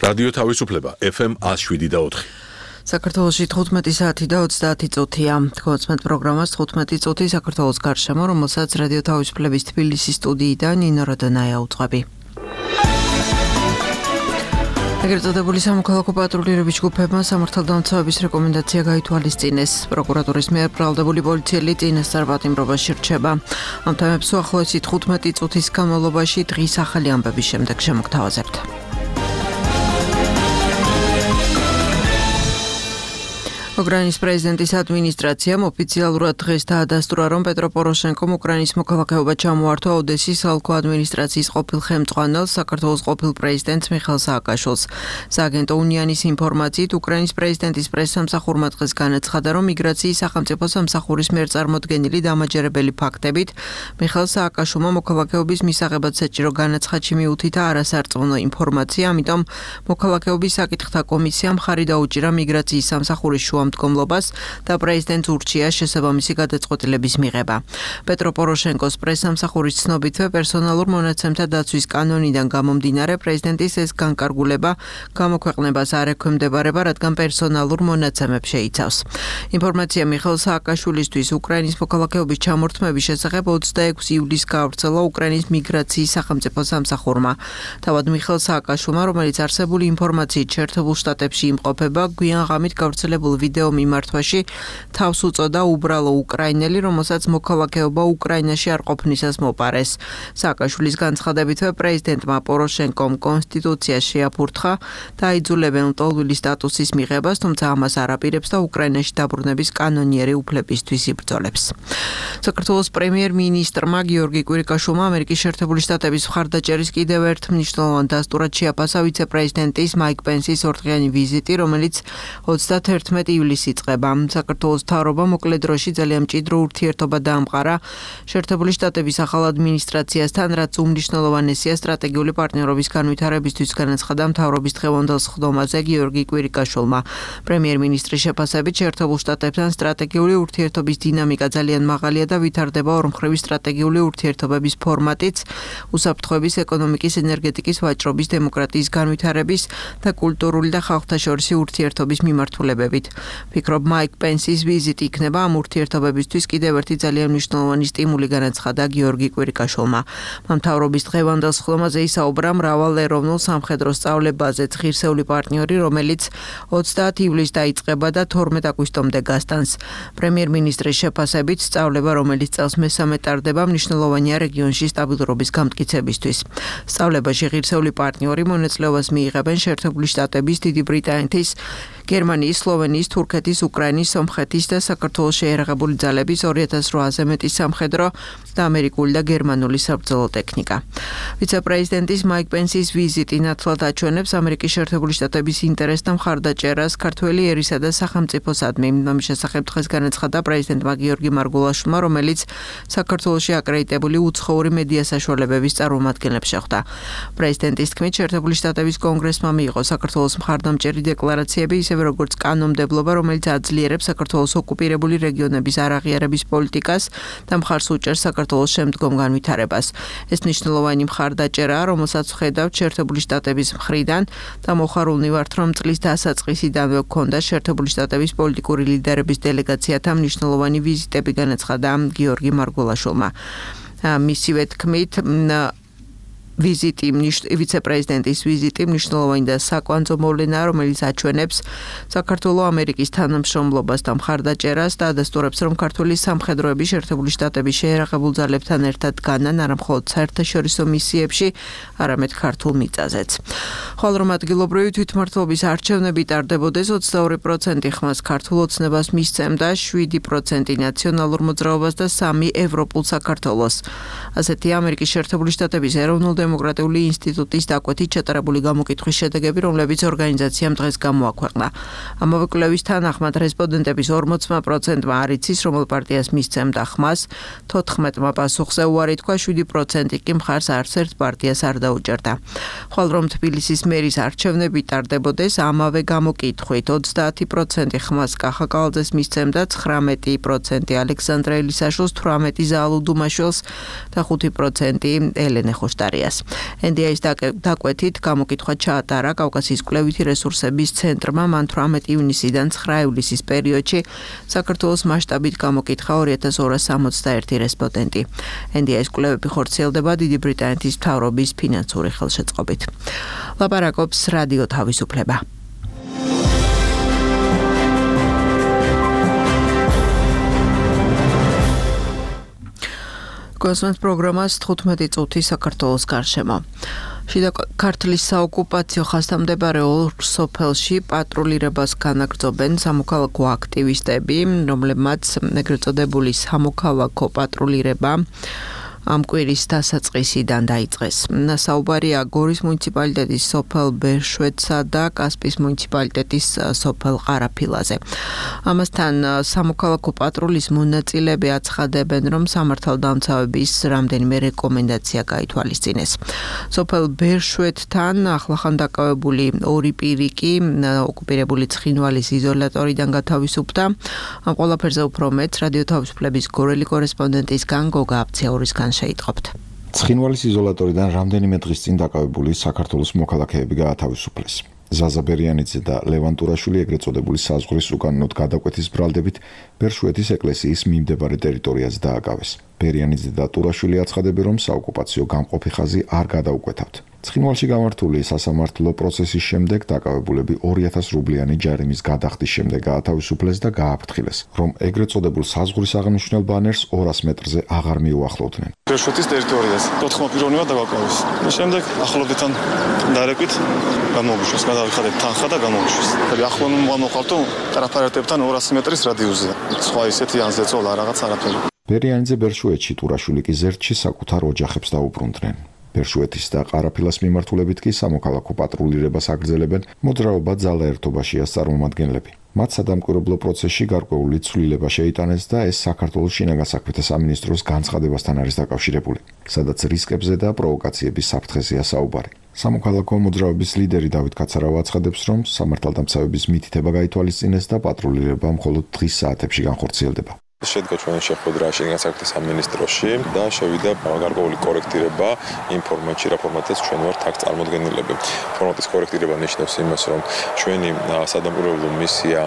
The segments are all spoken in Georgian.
რადიო თავისუფლება FM 107.4. საქართველოში 15 საათი და 30 წუთია. თქოს პროგრამას 15 წუთი საქართველოს გარშემო, რომელსაც რადიო თავისუფლების თბილისის სტუდიიდან ნინო როდონაია უძღვები. ეგრეთ წოდებული სამოქალაქო პატრულირების ჯგუფებმა სამართალდამცავების რეკომენდაცია გაითვალისწინეს. პროკურატურის მიერ ბრალდებული პოლიციელი წინასწარ პატიმრობაში რჩება. ამ თემებს უახლოესი 15 წუთის განმავლობაში დღის ახალი ამბების შემდეგ შემოგთავაზებთ. უკრაინის პრეზიდენტის ადმინისტრაციამ ოფიციალურად დღეს დაადასტურა, რომ პეტრო პოროშენკომ უკრაინის მოქალაქეობა ჩამოართვა ოდესის ალკო ადმინისტრაციის ყოფილ ხელმძღვანელს, საქართველოს ყოფილ პრეზიდენტს მიხეილ სააკაშვილს. სააგენტო უნიანის ინფორმაციით, უკრაინის პრეზიდენტის პრესსამსახურმა დღეს განაცხადა, რომ მიგრაციის სახელმწიფო სამსახურის მიერ წარმოდგენილი დამაჯერებელი ფაქტებით მიხეილ სააკაშვილმა მოქალაქეობის მისაღებად საჭირო განაცხადში მიუთითა არასარწმუნო ინფორმაცია, ამიტომ მოქალაქეობის საკითხთა კომისიამ მხარი დაუჭირა მიგრაციის სამსახურის მდგომლობას და პრეზიდენტს ურჩია შესაბამისი გადაწყვეტილების მიღება. პეტრო პოროშენკოს პრესსამსახურის ცნობითვე პერსონალურ მონაცემთა დაცვის კანონიდან გამომდინარე პრეზიდენტის ეს განკარგულება გამოქვეყნებას არ ექვემდებარება, რადგან პერსონალურ მონაცემებს შეიცავს. ინფორმაცია მიხეილ სააკაშვილისთვის უკრაინის მოქალაქეობის ჩამორთმების შესახებ 26 ივლისს გაავრცელა უკრაინის მიგრაციის სახელმწიფო სამსახურმა. თავად მიხეილ სააკაშვილმა, რომელიც არსებული ინფორმაციით შეერთებულ შტატებში იმყოფება, გვიან ღამით გავრცელებულ ვიდეო მიმართვაში თავს უწოდა უბრალო უკრაინელი, რომელსაც მოქალაქეობა უკრაინაში არ ყოფნისას მოპარეს. სააკაშვილის განცხადებითვე პრეზიდენტმა პოროშენკომ კონსტიტუციაში შეაფურთხა და აიძულებენ ლტოლვილი სტატუსის მიღებას, თუმცა ამას არ აპირებს და უკრაინაში დაბრუნების კანონიერი უფლებისთვის იბრძოლებს. საქართველოს პრემიერ-მინისტრმა გიორგი კვირიკაშვილმა ამერიკის შეერთებული შტატების მხარდაჭერის კიდევ ერთ მნიშვნელოვან დასტურად შეაფასა ვიცე-პრეზიდენტის მაიკ პენსის ორდღიანი ვიზიტი, რომელიც 31 ივლისს იწყება. საქართველოს მთავრობა მოკლე დროში ძალიან მჭიდრო ურთიერთობა დაამყარა შეერთებული შტატების ახალ ადმინისტრაციასთან, რაც უმნიშვნელოვანესია სტრატეგიული პარტნიორობის განვითარებისთვის, განაცხადა მთავრობის დღევანდელ სხდომაზე გიორგი კვირიკაშვილმა. პრემიერ-მინისტრის შეფასებით შეერთებულ შტატებთან სტრატეგიული ურთიერთობის დინამიკა ძალიან მაღალია და ვითარდება ორმხრივი სტრატეგიული ურთიერთობების ფორმატიც უსაფრთხოების, ეკონომიკის, ენერგეტიკის, ვაჭრობის, დემოკრატიის განვითარების და კულტურული და ხალხთაშორისი ურთიერთობის მიმართულებებით. ფიქრობ მაიკ პენსის ვიზიტი იქნება ამ ურთიერთობებისთვის კიდევ ერთი ძალიან მნიშვნელოვანი სტიმული, განაცხადა გიორგი კვირიკაშვილმა. მთავრობის დღევანდელ სხდომაზე ისაუბრა მრავალეროვნულ სამხედრო სწავლებაზეც ღირსეული პარტნიორი, რომელიც 30 ივლისს დაიწყება და 12 აგვისტომდე გასტანს. პრემიერ-მინისტრის შეფასებით სწავლება, რომელიც წელს მესამე ტარდება, მნიშვნელოვანია რეგიონში სტაბილურობის გამტკიცებისთვის. სწავლებაში ღირსეული პარტნიორი მონაწილეობას მიიღებენ შეერთებული შტატების, დიდი ბრიტანეთის, გერმანიის, სლოვენიის, თურქეთის, უკრაინის, სომხეთის და საქართველოს შეიარაღებული ძალების 2800-ზე მეტი სამხედრო და ამერიკული და გერმანული საბრძოლო ტექნიკა. ვიცე-პრეზიდენტის მაიკ პენსის ვიზიტი ნათლად აჩვენებს ამერიკის შეერთებული შტატების ინტერესთა მხარდაჭერას ქართველი ერისა და სახელმწიფოსადმი. ამის შესახებ დღეს განაცხადა პრეზიდენტმა გიორგი მარგულაშვილმა, რომელიც საქართველოში აკრედიტებული უცხოური მედია საშუალებების წარმომადგენლებს შეხვდა. პრეზიდენტის თქმით, შეერთებული შტატების კონგრესმა მიიღო საქართველოს მხარდამჭერი დეკლარაციები, ისევე როგორც კანონმდებლობა, რომელიც აძლიერებს საქართველოს ოკუპირებული რეგიონების არაღიარების პოლიტიკას და მხარს უჭერს საქართველოს შემდგომ განვითარებას. ეს მნიშვნელოვანი მხარდაჭერაა, რომელსაც ვხედავთ შეერთებული შტატების მხრიდან და მოხარულნი ვართ, რომ წლის დასაწყისიდანვე გქონდა შეერთებული შტატების პოლიტიკური ლიდერების დელეგაციათა მნიშვნელოვანი ვიზიტები, განაცხადა გიორგი მარგულაშვილმა. მისივე თქმით, ვიცე-პრეზიდენტის ვიზიტი მნიშვნელოვანი და საკვანძო მოვლენაა, რომელიც აჩვენებს საქართველოს ამერიკის თანამშრომლობას და მხარდაჭერას და ადასტურებს, რომ ქართული სამხედროები შეერთებული შტატების შეიარაღებულ ძალებთან ერთად დგანან არა მხოლოდ საერთაშორისო მისიებში, არამედ ქართულ მიწაზეც. ხოლო რომ ადგილობრივი თვითმმართველობის არჩევნები ტარდებოდეს, 22% ხმას ქართულ ოცნებას მისცემდა, 7% ნაციონალურ მოძრაობას და 3% ევროპულ საქართველოს. ასეთია ამერიკის შეერთებული შტატების ეროვნულ დემოკრატიული ინსტიტუტის დაკვეთით ჩატარებული გამოკითხვის შედეგები, რომლებიც ორგანიზაციამ დღეს გამოაქვეყნა. ამავე კვლევის თანახმად რესპონდენტების 40%-მა არ იცის, რომელ პარტიას მისცემდა ხმას, 14%-მა პასუხზე უარი თქვა, 7% კი მხარს არც ერთ პარტიას არ დაუჭერდა. ხოლო რომ თბილისის მერის არჩევნები ტარდებოდეს, ამავე გამოკითხვით 30% ხმას კახა კალაძეს მისცემდა, 19% ალექსანდრე ელისაშვილს, 18% ზაალუ დუმაშვილს და 5% ელენე ხოშტარიას. NDI-ის დაკვეთით გამოკითხვა ჩაატარა კავკასიის კვლევითი რესურსების ცენტრმა მან 18 ივნისიდან 9 ივლისის პერიოდში საქართველოს მასშტაბით გამოკითხა 2261 რესპონდენტი. NDI-ის კვლევები ხორციელდება დიდი ბრიტანეთის მთავრობის ფინანსური ხელშეწყობით. ლაპარაკობს რადიო თავისუფლება. კონსულტ პროგრამას 15 წუთი საქართველოს გარშემო. შიდა ქართლის საოკუპაციო ხასიათმდებარე ორ სოფელში პატრულირებას განაგრძობენ სამოქალაქო აქტივისტები, რომლებმაც ეგრეთ წოდებული სამოქალაქო პატრულირება ამ კვირის დასაწყისიდან დაიწყეს. საუბარია გორის მუნიციპალიტეტის სოფელ ბერშვეთსა და კასპის მუნიციპალიტეტის სოფელ ყარაფილაზე. ამასთან სამოქალაქო პატრულის მონაწილეები აცხადებენ, რომ სამართალდამცავების რამდენიმე რეკომენდაცია გაითვალისწინეს. სოფელ ბერშვეთთან ახლახან დაკავებული ორი პირი კი ოკუპირებული ცხინვალის იზოლატორიდან გათავისუფლდა. ამ ყველაფერზე უფრო მეტ რადიო თავისუფლების გორელი კორესპონდენტისგან გოგა აფციაურისგან შეიტყობთ. ცხინვალის იზოლატორიდან რამდენიმე დღის წინ დაკავებული საქართველოს მოქალაქეები გაათავისუფლეს. ზაზა ბერიანიძე და ლევან ტურაშვილი ეგრეთ წოდებული საზღვრის უკანონოდ გადაკვეთის ბრალდებით ბერშვეთის ეკლესიის მიმდებარე ტერიტორიაზე დააკავეს. ბერიანიძე და ტურაშვილი აცხადებენ, რომ საოკუპაციო გამყოფი ხაზი არ გადაუკვეთავთ. ცხინვალში გამართული სასამართლო პროცესის შემდეგ დაკავებულები 2000 რუბლიანი ჯარიმის გადახდის შემდეგ გაათავისუფლეს და გააფრთხილეს, რომ ეგრეთ წოდებულ საზღვრის აღნიშნულ ბანერს 200 მეტრზე აღარ მიუახლოვდნენ. ბერშვეთის ტერიტორიაზე 4 პიროვნებად დაგაკავეს. შემდეგ ახლობდიდან დარეკვით გამოვიშვეს, გადავიხადეთ თანხა და გამოვიშვეს. ახლო მოყავთო ტრაფარეტებთან 200 მეტრის რადიუსზე. სხვა ისეთი ანზეწოლა რაღაც არაფერი. ბერიანიძე ბერშვეთში, ტურაშვილი კი ზერთში საკუთარ ოჯახებს დაუბრუნდნენ. ბერშვეთის და ყარაფილას მიმართულებით კი სამოქალაქო პატრულირებას აგრძელებენ მოძრაობა ძალა ერთობაშია წარმომადგენლები. მათ სადამკვირვებლო პროცესში გარკვეული ცვლილება შეიტანეს და ეს საქართველოს შინაგან საქმეთა სამინისტროს განცხადებასთან არის დაკავშირებული, სადაც რისკებზე და პროვოკაციების საფრთხეზეა საუბარი. სამოქალაქო მოძრაობის ლიდერი დავით კაცარავა აცხადებს, რომ სამართალდამცავების მითითება გაითვალისწინეს და პატრულირება მხოლოდ დღის საათებში განხორციელდება. შედგა ჩვენი შეხვედრა შინაგან საქმეთა სამინისტროში და შევიდა გარკვეული კორექტირება იმ ფორმატში, რა ფორმატიც ჩვენ ვართ აქ წარმოდგენილები. ფორმატის კორექტირება ნიშნავს იმას, რომ ჩვენი სადამკვირვებლო მისია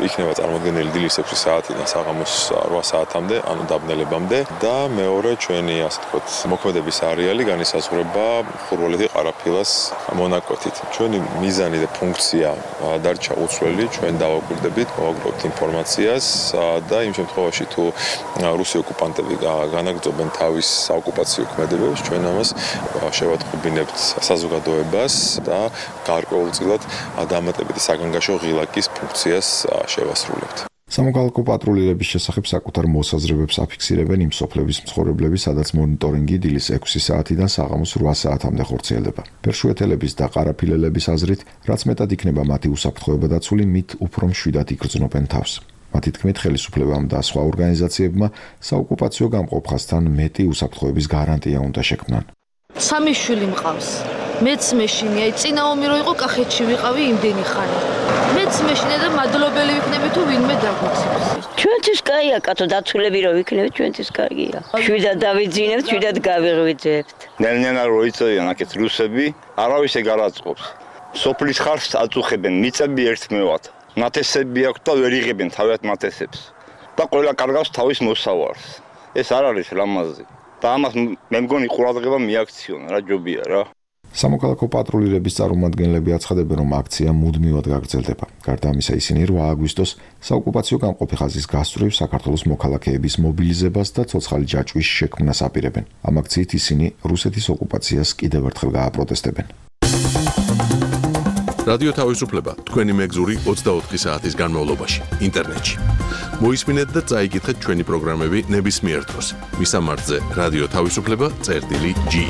იქნება წარმოდგენილი დილის 6 საათიდან საღამოს 8 საათამდე, ანუ დაბნელებამდე და მეორე ჩვენი, ასე ვთქვათ, მოქმედების არეალი განისაზღვრება ხურვალეთი ყარაფილას მონაკვეთით. ჩვენი მიზანი და ფუნქცია დარჩა უცვლელი, ჩვენ დავაკვირდებით, მოვაგროვებთ ინფორმაციას და იმ შემთხვევაში თუ რუსი ოკუპანტები განაგრძობენ თავის საოკუპაციო ქმედებებს, ჩვენ ამას შევატყობინებთ საზოგადოებას და გარკვეულწილად დამატებითი საგანგაშო ღილაკის ფუნქციას შევასრულებთ. სამოქალაქო პატრულირების შესახებ საკუთარ მოსაზრებებს აფიქსირებენ იმ სოფლების მცხოვრებლები, სადაც მონიტორინგი დილის 6 საათიდან საღამოს 8 საათამდე ხორციელდება. ბერშვეთელების და ყარაფილელების აზრით, რაც მეტად იქნება მათი უსაფრთხოება დაცული, მით უფრო მშვიდად იგრძნობენ თავს. მათი თქმით, ხელისუფლებამ და სხვა ორგანიზაციებმა საოკუპაციო გამყოფ ხაზთან მეტი უსაფრთხოების გარანტია უნდა შექმნან. სამი შვილი მყავს. მეც მეშინია, წინა ომი რო იყო კახეთში ვიყავი იმდენი ხანი. მეც მეშინია და მადლობელი ვიქნები თუ ვინმე დაგვიცემს. ჩვენთვის კაია, კაცო, დაცულები რო ვიქნებით, ჩვენთვის კაია. შვიდად დავიძინებთ, შვიდად გავიღვიძებთ. ნელ-ნელა რო იწევიან აქეთ რუსები, არავის ეგ არ აწყობს. სოფლის ხარს აწუხებენ, მიწები ერთმევად. ნათესები აქვს და ვერ იღებენ თავად ნათესებს და ყველა კარგავს თავის მოსავარს. ეს არ არის ლამაზი და ამას მე მგონი ყურადღება მიაქციონ რა ჯობია რა. სამოქალაქო პატრულირების წარმომადგენლები აცხადებენ, რომ აქცია მუდმივად გაგრძელდება. გარდა ამისა, ისინი 8 აგვისტოს საოკუპაციო გამყოფი ხაზის გასწვრივ საქართველოს მოქალაქეების მობილიზებას და ცოცხალი ჯაჭვის შექმნას აპირებენ. ამ აქციით ისინი რუსეთის ოკუპაციას კიდევ ერთხელ გააპროტესტებენ. რადიო თავისუფლება თქვენი მეგზური 24 საათის განმავლობაში ინტერნეტში. მოისმინეთ და წაიკითხეთ ჩვენი პროგრამები ნებისმიერ დროს. მისამართზე რადიო თავისუფლება წერტილი.ge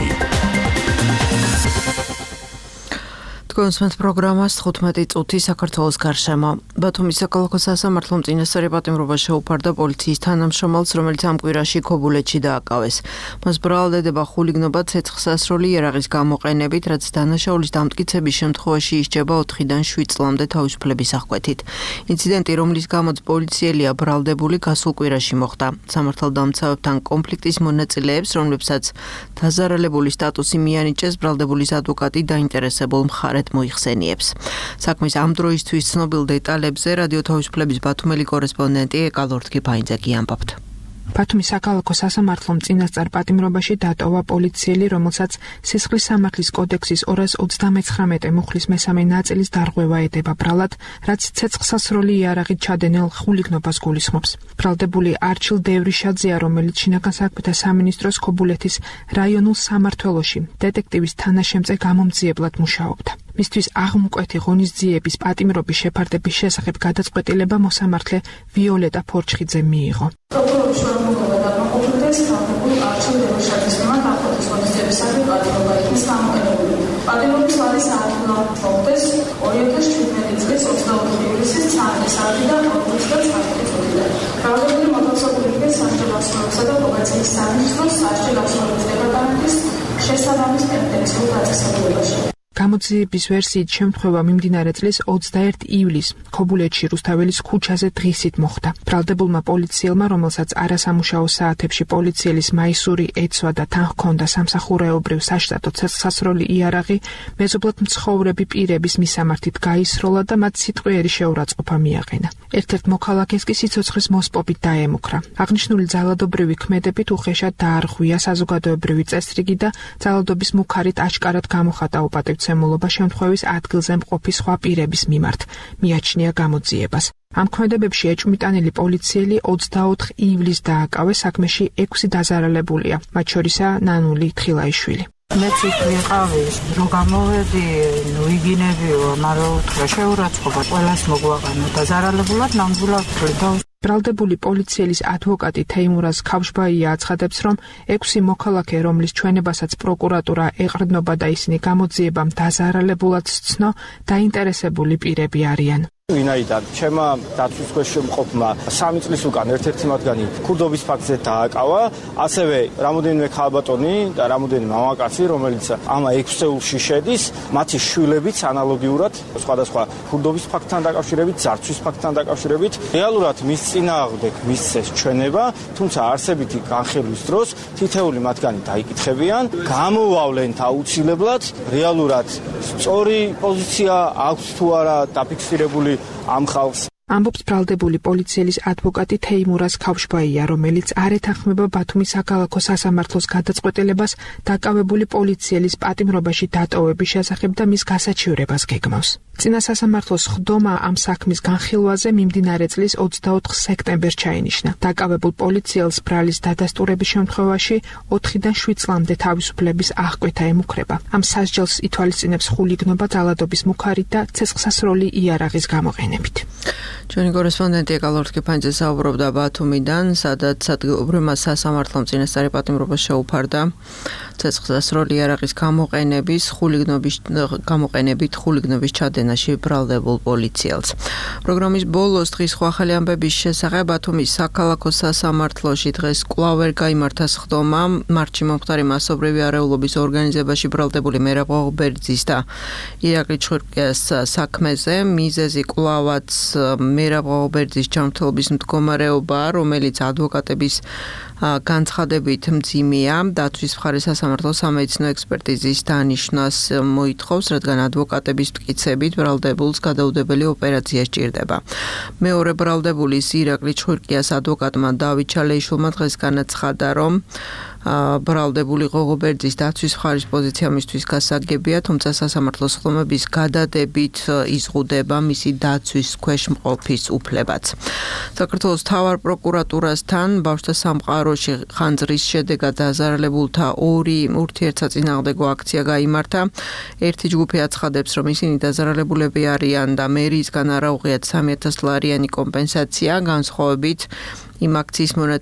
მოგესმენთ პროგრამას 15 წუთი საქართველოს გარშემო. ბათუმის საქალაქო სასამართლომ წინასწარი პატიმრობა შეუფარდა პოლიციის თანამშრომელს, რომელიც ამ კვირაში ქობულეთში დააკავეს. მას ბრალდება ხულიგნობა ცეცხლსასროლი იარაღის გამოყენებით, რაც დანაშაულის დამტკიცების შემთხვევაში ისჯება 4-დან 7 წლამდე თავისუფლების აღკვეთით. ინციდენტი, რომლის გამოც პოლიციელია ბრალდებული, გასულ კვირაში მოხდა. სამართალდამცავებთან კონფლიქტის მონაწილეებს, რომლებსაც დაზარალებული სტატუსი მიანიჭეს, ბრალდებულის ადვოკატი დაინტერესებულ მხარეთ მოიხსენიებს. საქმის ამ დროისთვის ცნობილ დეტალებზე რადიო თავისუფლების ბათუმელი კორესპონდენტი ეკალორთგი ფაინძეკი ამბობთ. ბათუმის საქალაქო სასამართლომ წინასწარ პატიმრობაში დატოვა პოლიციელი, რომელსაც სისხლის სამართლის კოდექსის 239 მუხლის მესამე ნაწილის დარღვევა ედება ბრალად, რაც ცეცხლსასროლი იარაღით ჩადენილ ხულიგნობას გულისხმობს. ბრალდებული არჩილ დევრიშაძეა, რომელიც შინაგან საქმეთა სამინისტროს ქობულეთის რაიონულ სამმართველოში დეტექტივის თანაშემწე გამომძიებლად მუშაობდა. მისთვის აღმკვეთი ღონისძიების პატიმრობის შეფარდების შესახებ გადაწყვეტილება მოსამართლე ვიოლეტა ფორჩხიძე მიიღო. პროკურორის შრომობა დაკმაყოფილდეს თავდაპირველ არჩილ დევრიშაძის მიმართ აღკვეთის ღონისძიებისადმი პატიმრობა იქნის გამოყენებული. პატიმრობის ვადი საათლო მოხდეს 2017 წლის 24 ივლისის 3 საათიდან 4 წუთიდან. ბრალდებული მოთავსებული იქეს სასჯელ ასრულებისა და პრობაციის სამინისტროს სასჯელ ასრულების დეპარტამენტის შესაბამის პენტენციურ დაწესებულებაში. გამოძიების ვერსიით შემთხვევა მიმდინარე წლის 21 ივლისს ქობულეთში რუსთაველის ქუჩაზე დღისით მოხდა. ბრალდებულმა პოლიციელმა, რომელსაც არასამუშაო საათებში პოლიციელის მაისური ეცვა და თან ჰქონდა სამსახურეობრივ საშტატო ცეცხლსასროლი იარაღი, მეზობლად მცხოვრები პირების მისამართით გაისროლა და მათ სიტყვიერი შეურაცხყოფა მიაყენა. ერთ-ერთ მოქალაქეს კი სიცოცხლის მოსპობით დაემუქრა. აღნიშნული ძალადობრივი ქმედებით უხეშად დაარღვია საზოგადოებრივი წესრიგი და ძალადობის მუქარით აჩკარად გამოხატა უპატივცემულობა შემთხვევის ადგილზე მყოფი სხვა პირების მიმართ, მიაჩნია გამოძიებას. ამ ქმედებებში ეჭვმიტანილი პოლიციელი 24 ივლისს დააკავეს, საქმეში 6 დაზარალებულია, მათ შორისაა ნანული თხილაიშვილი. მეც იქ ვიყავი, რომ გამოვედი, იგინებიო, მაგრამ უთხრა შეურაცხყოფა ყველას მოგვაყენა, დაზარალებულად ნამდვილად ვთვლიდა. ბრალდებული პოლიციელის ადვოკატი თეიმურაზ ქავშბაია აცხადებს, რომ 6 მოქალაქე, რომლის ჩვენებასაც პროკურატურა ეყრდნობა და ისინი გამოძიებამ დაზარალებულად სცნო, დაინტერესებული პირები არიან. ვინაიდან ჩემმა დაცვის ქვეშ შემყოფმა 3 წლის უკან ერთ-ერთი მათგანი ქურდობის ფაქტზე დააკავა, ასევე რამოდენიმე ქალბატონი და რამოდენიმე მამაკაცი, რომელიც ამ 6 წეულში შედის, მათი შვილებიც ანალოგიურად სხვადასხვა ქურდობის ფაქტთან დაკავშირებით, ძარცვის ფაქტთან დაკავშირებით, რეალურად მის წინააღმდეგ მისცეს ჩვენება, თუმცა არსებითი განხილვის დროს თითეული მათგანი დაიკითხებიან, გამოვავლენ აუცილებლად, რეალურად სწორი პოზიცია აქვს თუ არა დაფიქსირებული ამ ხალხს. ამბობს ბრალდებული პოლიციელის ადვოკატი თეიმურაზ ქავშბაია, რომელიც არ ეთანხმება ბათუმის საქალაქო სასამართლოს გადაწყვეტილებას დაკავებული პოლიციელის პატიმრობაში დატოვების შესახებ და მის გასაჩივრებას გეგმავს. წინა სასამართლოს ხდომა ამ საქმის განხილვაზე მიმდინარე წლის 24 სექტემბერს ჩაინიშნა. დაკავებულ პოლიციელს ბრალის დადასტურების შემთხვევაში 4-დან 7 წლამდე თავისუფლების აღკვეთა ემუქრება. ამ სასჯელს ითვალისწინებს ხულიგნობა ძალადობის მუქარით და ცეცხლსასროლი იარაღის გამოყენებით. ჩვენი კორესპონდენტი ეკალორთგი ფაინძე საუბრობდა ბათუმიდან, სადაც ადგილობრივმა სასამართლომ წინასწარი პატიმრობა შეუფარდა ცეცხლსასროლი იარაღის გამოყენებით ხულიგნობის ჩადენაში ბრალდებულ პოლიციელს. პროგრამის ბოლოს დღის სხვა ახალი ამბების შესახებ ბათუმის საქალაქო სასამართლოში დღეს კვლავ ვერ გაიმართა სხდომა მარტში მომხდარი მასობრივი არეულობის ორგანიზებაში ბრალდებული მერაბ ღობერძის და ირაკლი ჩხურკიას საქმეზე. მიზეზი კვლავაც მერაბ ღობერძის ჯანმრთელობის მდგომარეობაა, რომელიც ადვოკატების განცხადებით მძიმეა. დაცვის მხარეს სასამართლო სამედიცინო ექსპერტიზის დანიშნას მოითხოვს, რადგან ადვოკატების მტკიცებით ბრალდებულს გადაუდებელი ოპერაცია სჭირდება. მეორე ბრალდებულის ირაკლი ჩხურკიას ადვოკატმა დავით ჩალეიშვილმა დღეს განაცხადა, რომ ბრალდებული ღობერძის დაცვის მხარის პოზიცია მისთვის გასაგებია, თუმცა სასამართლოს ხდომების გადადებით იზღუდება მისი დაცვის ქვეშ მყოფის უფლებაც. საქართველოს მთავარ პროკურატურასთან ბავშვთა სამყაროში ხანძრის შედეგად დაზარალებულთა 2 ურთიერთსაწინააღმდეგო აქცია გაიმართა. ერთი ჯგუფი აცხადებს, რომ ისინი დაზარალებულები არიან და მერიისგან არ აუღიათ 3000 ლარიანი კომპენსაცია, განსხვავებით იმ აქციის